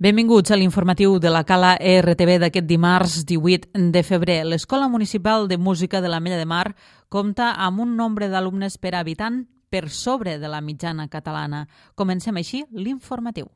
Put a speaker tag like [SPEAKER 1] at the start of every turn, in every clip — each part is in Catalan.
[SPEAKER 1] Benvinguts a l'informatiu de la Cala RTV d'aquest dimarts 18 de febrer. L'Escola Municipal de Música de l'Ametlla de Mar compta amb un nombre d'alumnes per habitant per sobre de la mitjana catalana. Comencem així l'informatiu.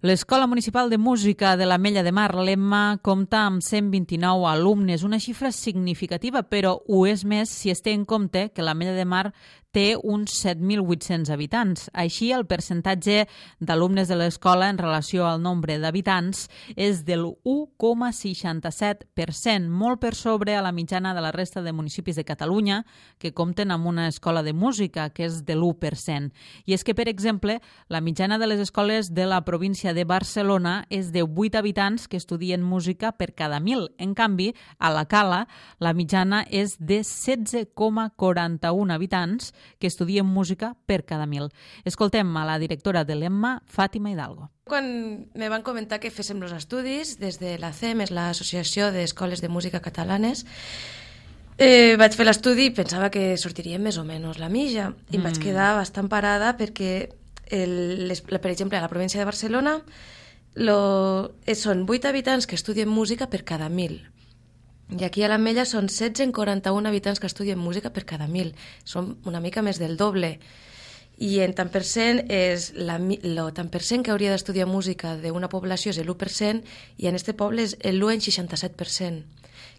[SPEAKER 1] L'Escola Municipal de Música de l'Ametlla de Mar, l'EMMA, compta amb 129 alumnes, una xifra significativa, però ho és més si es té en compte que l'Ametlla de Mar té uns 7.800 habitants. Així, el percentatge d'alumnes de l'escola en relació al nombre d'habitants és del 1,67%, molt per sobre a la mitjana de la resta de municipis de Catalunya, que compten amb una escola de música, que és de l'1%. I és que, per exemple, la mitjana de les escoles de la província de Barcelona és de 8 habitants que estudien música per cada 1.000. En canvi, a la Cala, la mitjana és de 16,41 habitants que estudien música per cada 1.000. Escoltem a la directora de l'EMMA, Fàtima Hidalgo.
[SPEAKER 2] Quan me van comentar que féssim els estudis, des de l'ACEM, és l'Associació d'Escoles de Música Catalanes, vaig fer l'estudi i pensava que sortiria més o menys la mitja. I em vaig quedar bastant parada perquè, per exemple, a la província de Barcelona són 8 habitants que estudien música per cada 1.000. I aquí a l'Ametlla són 16 en 41 habitants que estudien música per cada 1.000. Són una mica més del doble. I en tant per cent, tant per cent que hauria d'estudiar música d'una població és l'1% i en aquest poble és l'1,67%,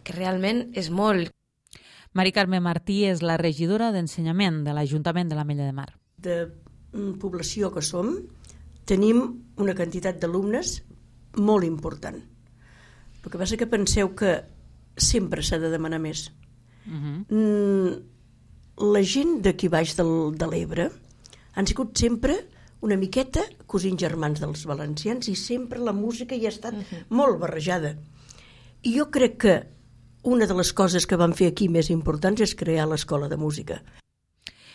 [SPEAKER 2] que realment és molt.
[SPEAKER 1] Mari Carme Martí és la regidora d'Ensenyament de l'Ajuntament de l'Ametlla de Mar.
[SPEAKER 3] De població que som, tenim una quantitat d'alumnes molt important. El que passa que penseu que sempre s'ha de demanar més. La gent d'aquí baix de l'Ebre han sigut sempre una miqueta cosins germans dels valencians i sempre la música hi ha estat molt barrejada. I jo crec que una de les coses que vam fer aquí més importants és crear l'Escola de Música.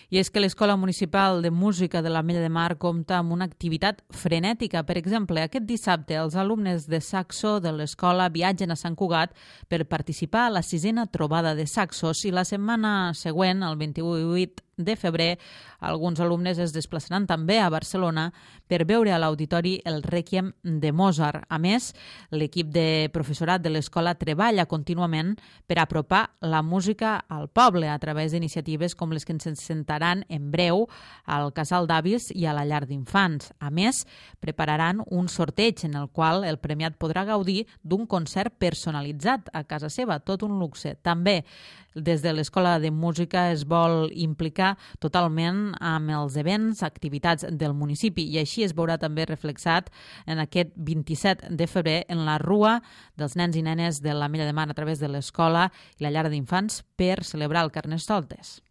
[SPEAKER 1] I és que l'Escola Municipal de Música de l'Ametlla de Mar compta amb una activitat frenètica. Per exemple, aquest dissabte els alumnes de saxo de l'escola viatgen a Sant Cugat per participar a la 6a trobada de saxos i la setmana següent, el 28 de febrer, alguns alumnes es desplaçaran també a Barcelona per veure a l'auditori el Rèquiem de Mozart. A més, l'equip de professorat de l'escola treballa contínuament per apropar la música al poble a través d'iniciatives com les que ens sentaran en breu al Casal d'Avis i a la Llar d'Infants. A més, prepararan un sorteig en el qual el premiat podrà gaudir d'un concert personalitzat a casa seva, tot un luxe. També des de l'Escola de Música es vol implicar totalment amb els events, activitats del municipi i així es veurà també reflexat en aquest 27 de febrer en la Rua dels nens i nenes de l'Ametlla de Mar a través de l'escola i la llar d'infants per celebrar el Carnestoltes.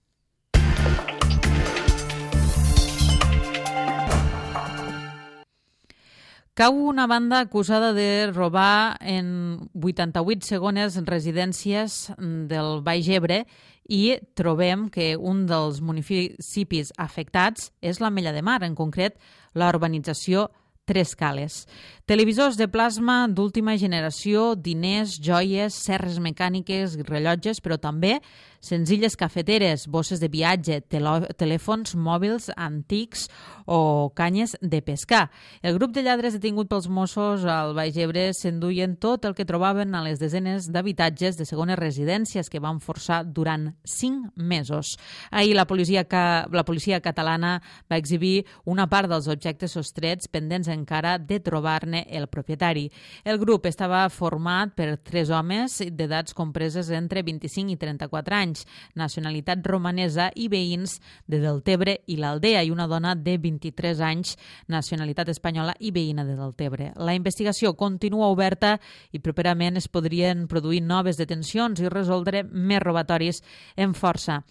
[SPEAKER 1] Cau una banda acusada de robar en 88 segones residències del Baix Ebre i trobem que un dels municipis afectats és l'Ametlla de Mar, en concret la urbanització Tres Cales. Televisors de plasma d'última generació, diners, joies, serres mecàniques, rellotges, però també senzilles cafeteres, bosses de viatge, telèfons mòbils antics o canyes de pescar. El grup de lladres detingut pels Mossos al Baix Ebre s'enduien tot el que trobaven a les desenes d'habitatges de segones residències que van forçar durant 5 mesos. Ahir la policia catalana va exhibir una part dels objectes sostrets pendents encara de trobar-ne el propietari. El grup estava format per 3 homes d'edats compreses entre 25 i 34 anys, nacionalitat romanesa i veïns de Deltebre i l'Aldea, i una dona de 23 anys, nacionalitat espanyola i veïna de Deltebre. La investigació continua oberta i properament es podrien produir noves detencions i resoldre més robatoris en força.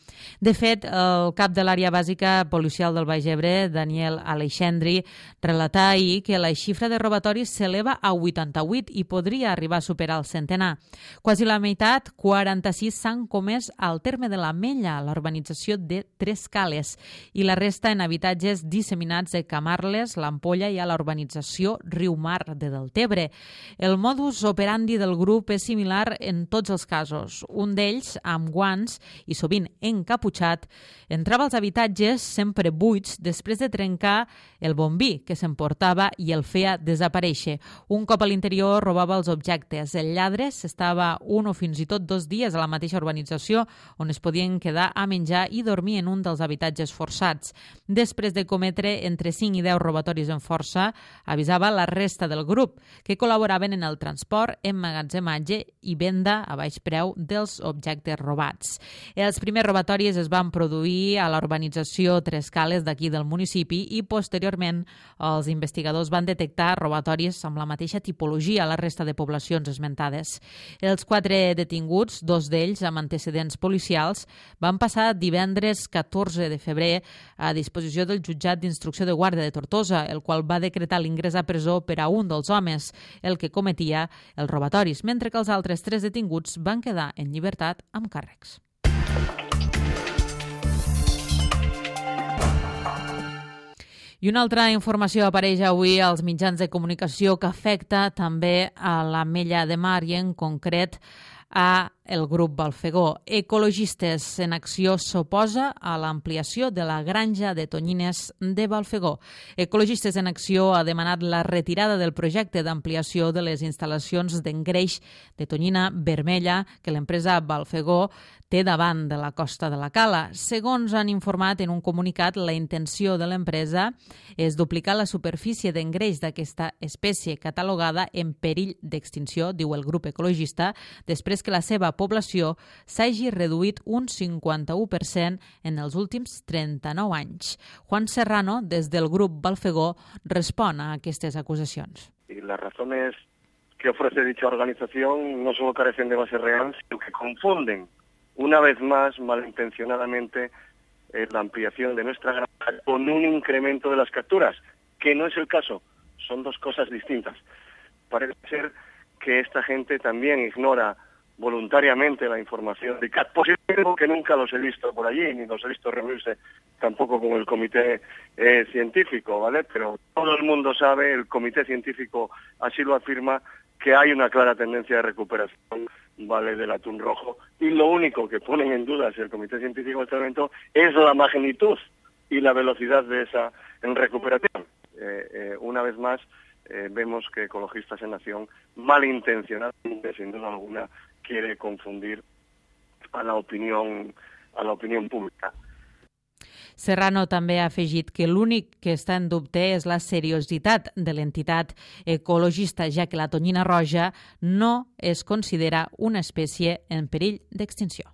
[SPEAKER 1] De fet, el cap de l'àrea bàsica policial del Baix Ebre, Daniel Aleixandri, relatà ahir que la xifra de robatoris s'eleva a 88 i podria arribar a superar el centenar. Quasi la meitat, 46, s'han comès al terme de l'Ametlla, a la urbanització de Tres Cales, i la resta en habitatges disseminats a Camarles, l'Ampolla i a la urbanització Riumar de Deltebre. El modus operandi del grup és similar en tots els casos. Un d'ells, amb guants i sovint encaputxat, entrava als habitatges sempre buits després de trencar el bombí que s'emportava i el feia desaparèixer. Un cop a l'interior robava els objectes. El lladre s'estava un o fins i tot 2 dies a la mateixa urbanització on es podien quedar a menjar i dormir en un dels habitatges forçats. Després de cometre entre 5 i 10 robatoris en força, avisava la resta del grup, que col·laboraven en el transport, emmagatzematge i venda a baix preu dels objectes robats. Els primers robatoris es van produir a la urbanització Tres Cales d'aquí del municipi i posteriorment els investigadors van detectar robatoris amb la mateixa tipologia a la resta de poblacions esmentades. Els 4 detinguts, 2 d'ells amb antecedents policials, van passar divendres 14 de febrer a disposició del jutjat d'instrucció de Guàrdia de Tortosa, el qual va decretar l'ingrés a presó per a un dels homes, el que cometia els robatoris, mentre que els altres 3 detinguts van quedar en llibertat amb càrrecs. I una altra informació apareix avui als mitjans de comunicació que afecta també a l'Ametlla de Mar i en concret a el grup Balfegó. Ecologistes en Acció s'oposa a l'ampliació de la granja de tonyines de Balfegó. Ecologistes en Acció ha demanat la retirada del projecte d'ampliació de les instal·lacions d'engreix de tonyina vermella que l'empresa Balfegó té davant de la costa de la Cala. Segons han informat en un comunicat, la intenció de l'empresa és duplicar la superfície d'engreix d'aquesta espècie catalogada en perill d'extinció, diu el grup ecologista, després que la seva població s'hagi reduït un 51% en els últims 39 anys. Juan Serrano, des del grup Balfegó, respon a aquestes acusacions.
[SPEAKER 4] Y las razones que ofrece dicha organización no solo carecen de base real, sino que confunden una vez más, malintencionadamente, la ampliación de nuestra granja con un incremento de las capturas, que no es el caso, son 2 cosas distintas. Parece ser que esta gente también ignora voluntariamente la información de CAT, positivo que nunca los he visto por allí, ni los he visto reunirse tampoco con el comité científico, ¿vale? Pero todo el mundo sabe, el comité científico así lo afirma, que hay una clara tendencia de recuperación, ¿vale?, del atún rojo, y lo único que ponen en duda el comité científico en este momento es la magnitud y la velocidad de esa recuperación. Una vez más, vemos que Ecologistas en Acción, malintencionadamente, sin duda alguna, quiere confundir a la opinión pública.
[SPEAKER 1] Serrano també ha afegit que l'únic que està en dubte és la seriositat de l'entitat ecologista, ja que la tonyina roja no es considera una espècie en perill d'extinció.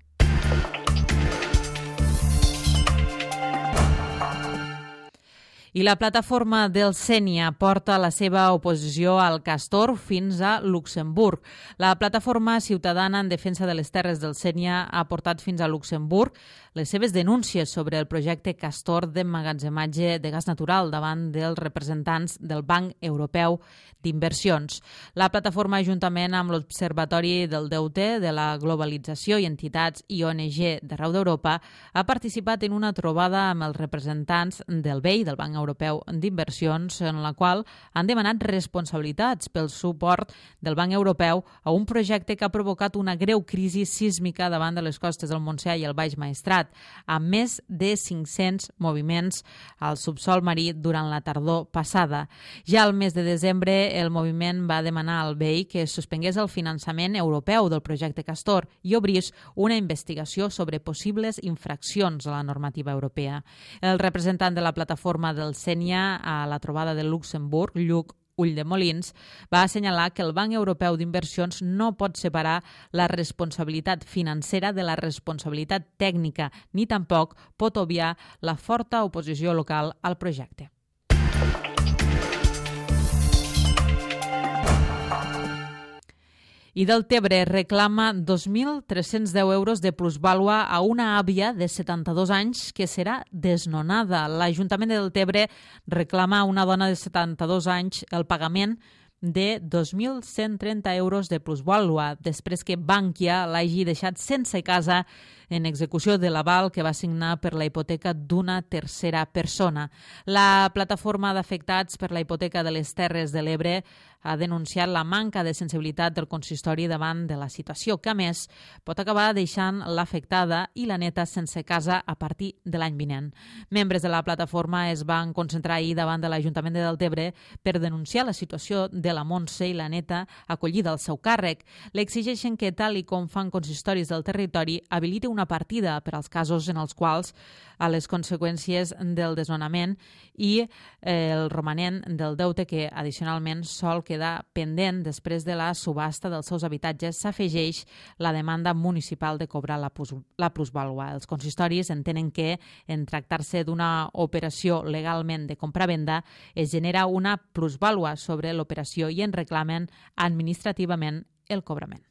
[SPEAKER 1] I la plataforma del Sénia porta la seva oposició al castor fins a Luxemburg. La plataforma ciutadana en defensa de les terres del Sénia ha portat fins a Luxemburg les seves denúncies sobre el projecte Castor d'emmagatzematge de gas natural davant dels representants del Banc Europeu d'Inversions. La plataforma, juntament amb l'Observatori del Deute, de la Globalització i entitats i ONG d'arreu d'Europa, ha participat en una trobada amb els representants del BEI, del Banc Europeu d'Inversions, en la qual han demanat responsabilitats pel suport del Banc Europeu a un projecte que ha provocat una greu crisi sísmica davant de les costes del Montsià i el Baix Maestrat, amb més de 500 moviments al subsol marí durant la tardor passada. Ja al mes de desembre, el moviment va demanar al BEI que es suspengués el finançament europeu del projecte Castor i obrís una investigació sobre possibles infraccions a la normativa europea. El representant de la plataforma del Sénia a la trobada de Luxemburg, Lluc Ulldemolins, va assenyalar que el Banc Europeu d'Inversions no pot separar la responsabilitat financera de la responsabilitat tècnica, ni tampoc pot obviar la forta oposició local al projecte. I Deltebre reclama 2.310 euros de plusvàlua a una àvia de 72 anys que serà desnonada. L'Ajuntament de Deltebre reclama a una dona de 72 anys el pagament de 2.130 euros de plusvàlua després que Bankia l'hagi deixat sense casa en execució de l'aval que va signar per la hipoteca d'una tercera persona. La plataforma d'afectats per la hipoteca de les Terres de l'Ebre ha denunciat la manca de sensibilitat del consistori davant de la situació, que a més pot acabar deixant l'afectada i la neta sense casa a partir de l'any vinent. Membres de la plataforma es van concentrar ahir davant de l'Ajuntament de Deltebre per denunciar la situació de la Montse i la neta acollida al seu càrrec. L'exigeixen que, tal i com fan consistoris del territori, habiliti una partida per als casos en els quals a les conseqüències del desnonament i el romanent del deute que addicionalment sol quedar pendent després de la subhasta dels seus habitatges s'afegeix la demanda municipal de cobrar la plusvàlua. Els consistoris entenen que, en tractar-se d'una operació legalment de compra-venda, es genera una plusvàlua sobre l'operació i en reclamen administrativament el cobrament.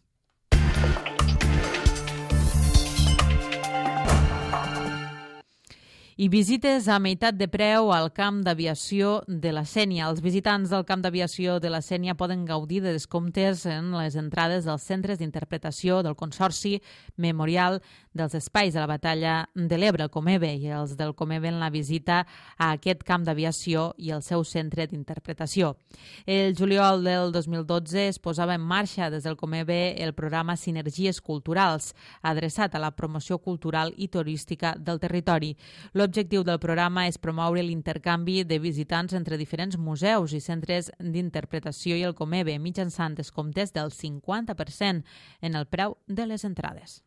[SPEAKER 1] I visites a meitat de preu al camp d'aviació de la Sénia. Els visitants del camp d'aviació de la Sénia poden gaudir de descomptes en les entrades dels centres d'interpretació del Consorci Memorial dels Espais de la Batalla de l'Ebre, el Comebe, i els del Comebe en la visita a aquest camp d'aviació i el seu centre d'interpretació. El juliol del 2012 es posava en marxa des del Comebe el programa Sinergies Culturals, adreçat a la promoció cultural i turística del territori. L'objectiu del programa és promoure l'intercanvi de visitants entre diferents museus i centres d'interpretació i el Comebe mitjançant descomptes del 50% en el preu de les entrades.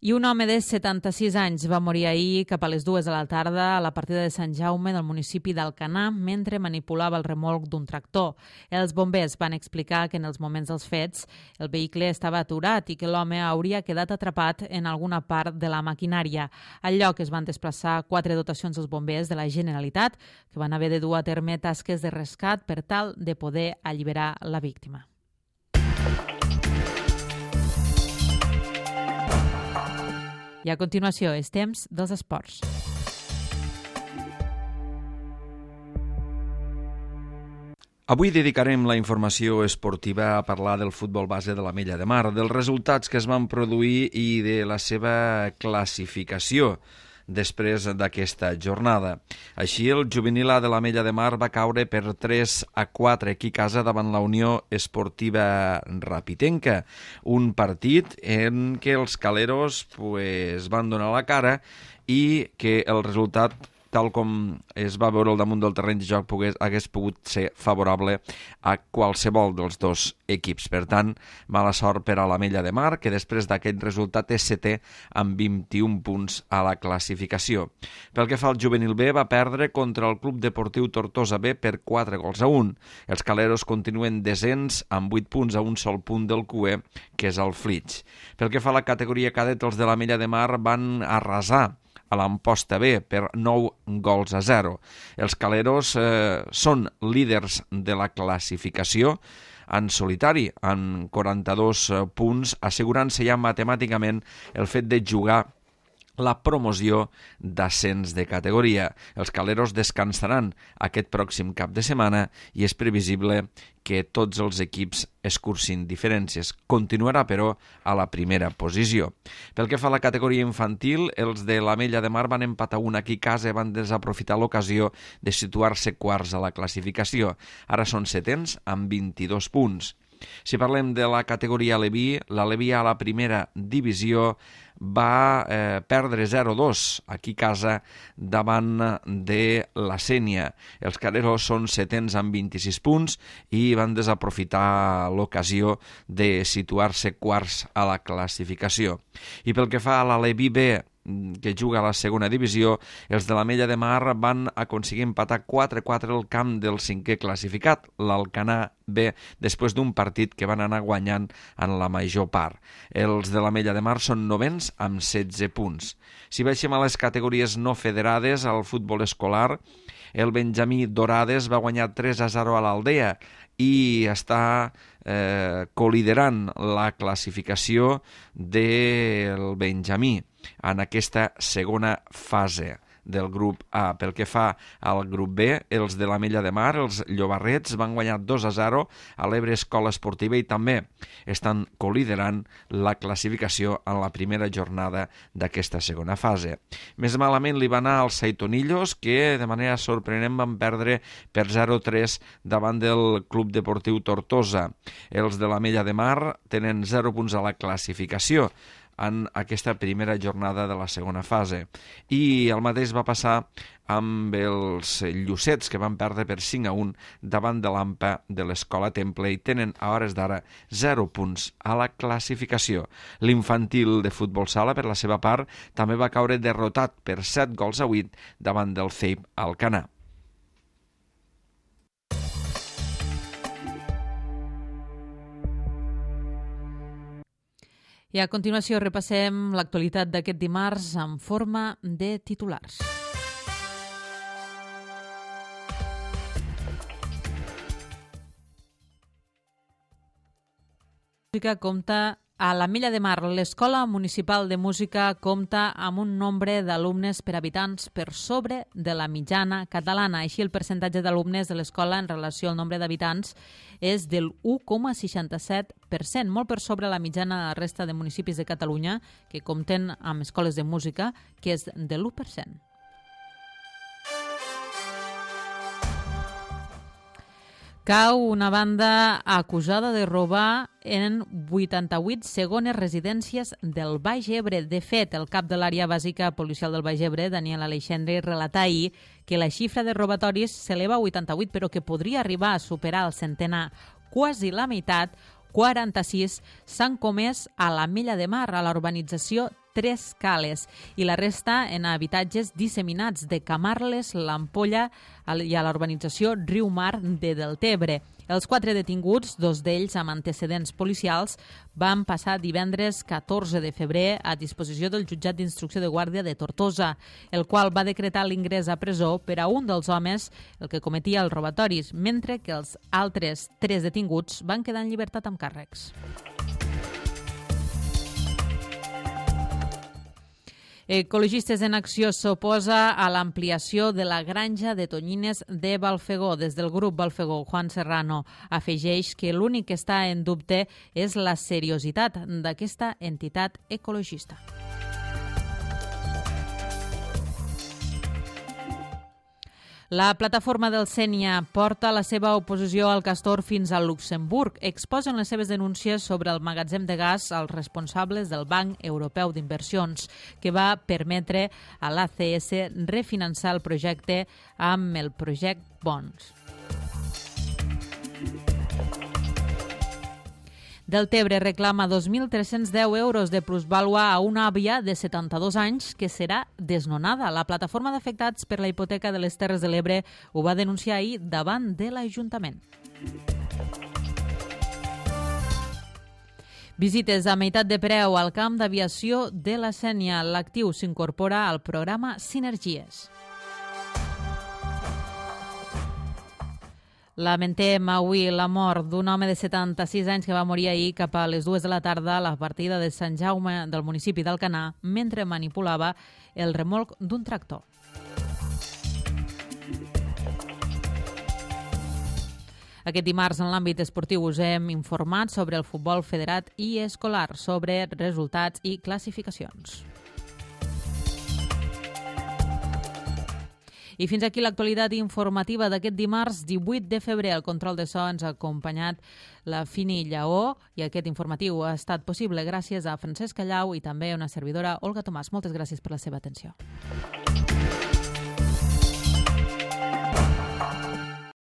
[SPEAKER 1] I un home de 76 anys va morir ahir cap a les 2 de la tarda a la partida de Sant Jaume del municipi d'Alcanar mentre manipulava el remolc d'un tractor. Els bombers van explicar que en els moments dels fets el vehicle estava aturat i que l'home hauria quedat atrapat en alguna part de la maquinària. Al lloc es van desplaçar 4 dotacions dels bombers de la Generalitat que van haver de dur a terme tasques de rescat per tal de poder alliberar la víctima. I a continuació és temps dels esports.
[SPEAKER 5] Avui dedicarem la informació esportiva a parlar del futbol base de l'Ametlla de Mar, dels resultats que es van produir i de la seva classificació després d'aquesta jornada. Així, el juvenil A de l'Ametlla de Mar va caure per 3-4 aquí a casa davant la Unió Esportiva Rapitenca, un partit en què els caleros van donar la cara i que el resultat, tal com es va veure al damunt del terreny de joc, hagués pogut ser favorable a qualsevol dels dos equips. Per tant, mala sort per a l'Ametlla de Mar, que després d'aquest resultat és setè amb 21 punts a la classificació. Pel que fa al juvenil B, va perdre contra el Club Deportiu Tortosa B per 4-1. Els caleros continuen descens amb 8 punts a un sol punt del QE, que és el Flix. Pel que fa a la categoria cadet, els de l'Ametlla de Mar van arrasar a l'Amposta B per 9-0. Els caleros són líders de la classificació en solitari, en 42 punts, assegurant-se ja matemàticament el fet de jugar la promoció d'ascens de categoria. Els caleros descansaran aquest pròxim cap de setmana i és previsible que tots els equips escurcin diferències. Continuarà, però, a la primera posició. Pel que fa a la categoria infantil, els de l'Ametlla de Mar van empatar una aquí a casa i van desaprofitar l'ocasió de situar-se quarts a la classificació. Ara són setens amb 22 punts. Si parlem de la categoria Aleví, l'Aleví a la primera divisió va perdre 0-2 aquí a casa davant de la Sénia. Els caleros són setens amb 26 punts i van desaprofitar l'ocasió de situar-se quarts a la classificació. I pel que fa a l'Aleví B, que juga a la segona divisió, els de l'Ametlla de Mar van aconseguir empatar 4-4 al camp del cinquè classificat, l'Alcanar B, després d'un partit que van anar guanyant en la major part. Els de l'Ametlla de Mar són novens amb 16 punts. Si baixem a les categories no federades, al futbol escolar, el Benjamí Dorades va guanyar 3-0 a l'Aldea i està coliderant la classificació del Benjamí en aquesta segona fase del grup A. Pel que fa al grup B, els de l'Ametlla de Mar, els Llobarrets, van guanyar 2-0 a l'Ebre Escola Esportiva i també estan coliderant la classificació en la primera jornada d'aquesta segona fase. Més malament li va anar als Saitonillos, que de manera sorprenent van perdre per 0-3 davant del Club Deportiu Tortosa. Els de l'Ametlla de Mar tenen 0 punts a la classificació en aquesta primera jornada de la segona fase. I el mateix va passar amb els Llucets, que van perdre per 5-1 davant de l'AMPA de l'Escola Temple i tenen a hores d'ara 0 punts a la classificació. L'infantil de futbol sala, per la seva part, també va caure derrotat per 7-8 davant del CEIP Alcanar.
[SPEAKER 1] I a continuació repassem l'actualitat d'aquest dimarts en forma de titulars. A l'Ametlla de Mar, l'Escola Municipal de Música compta amb un nombre d'alumnes per habitants per sobre de la mitjana catalana. Així, el percentatge d'alumnes de l'escola en relació al nombre d'habitants és del 1,67%, molt per sobre la mitjana de la resta de municipis de Catalunya que compten amb escoles de música, que és de l'1%. Cau una banda acusada de robar en 88 segones residències del Baix Ebre. De fet, el cap de l'àrea bàsica policial del Baix Ebre, Daniel Aleixandre, relatà ahir que la xifra de robatoris s'eleva a 88, però que podria arribar a superar el centenar. Quasi la meitat, 46, s'han comès a l'Ametlla de Mar, a la urbanització Tres Cales, i la resta en habitatges disseminats de Camarles, l'Ampolla i a la urbanització Riu Mar de Deltebre. Els 4 detinguts, 2 d'ells amb antecedents policials, van passar divendres 14 de febrer a disposició del jutjat d'instrucció de guàrdia de Tortosa, el qual va decretar l'ingrés a presó per a un dels homes, el que cometia els robatoris, mentre que els altres 3 detinguts van quedar en llibertat amb càrrecs. Ecologistes en Acció s'oposa a l'ampliació de la granja de tonyines de Balfegó. Des del grup Balfegó, Juan Serrano afegeix que l'únic que està en dubte és la seriositat d'aquesta entitat ecologista. La plataforma del Sénia porta la seva oposició al castor fins a Luxemburg. Exposen les seves denúncies sobre el magatzem de gas als responsables del Banc Europeu d'Inversions, que va permetre a l'ACS refinançar el projecte amb el Project Bonds. Deltebre reclama 2.310 euros de plusvàlua a una àvia de 72 anys que serà desnonada. La plataforma d'afectats per la hipoteca de les Terres de l'Ebre ho va denunciar ahir davant de l'Ajuntament. Visites a meitat de preu al camp d'aviació de la Sénia. L'actiu s'incorpora al programa Sinergies. Lamentem avui la mort d'un home de 76 anys que va morir ahir cap a les 2 de la tarda a la partida de Sant Jaume del municipi d'Alcanar mentre manipulava el remolc d'un tractor. Aquest dimarts, en l'àmbit esportiu, us hem informat sobre el futbol federat i escolar, sobre resultats i classificacions. I fins aquí l'actualitat informativa d'aquest dimarts 18 de febrer. El control de so ens ha acompanyat la Fini Lleó i aquest informatiu ha estat possible gràcies a Francesc Callau i també a una servidora, Olga Tomàs. Moltes gràcies per la seva atenció.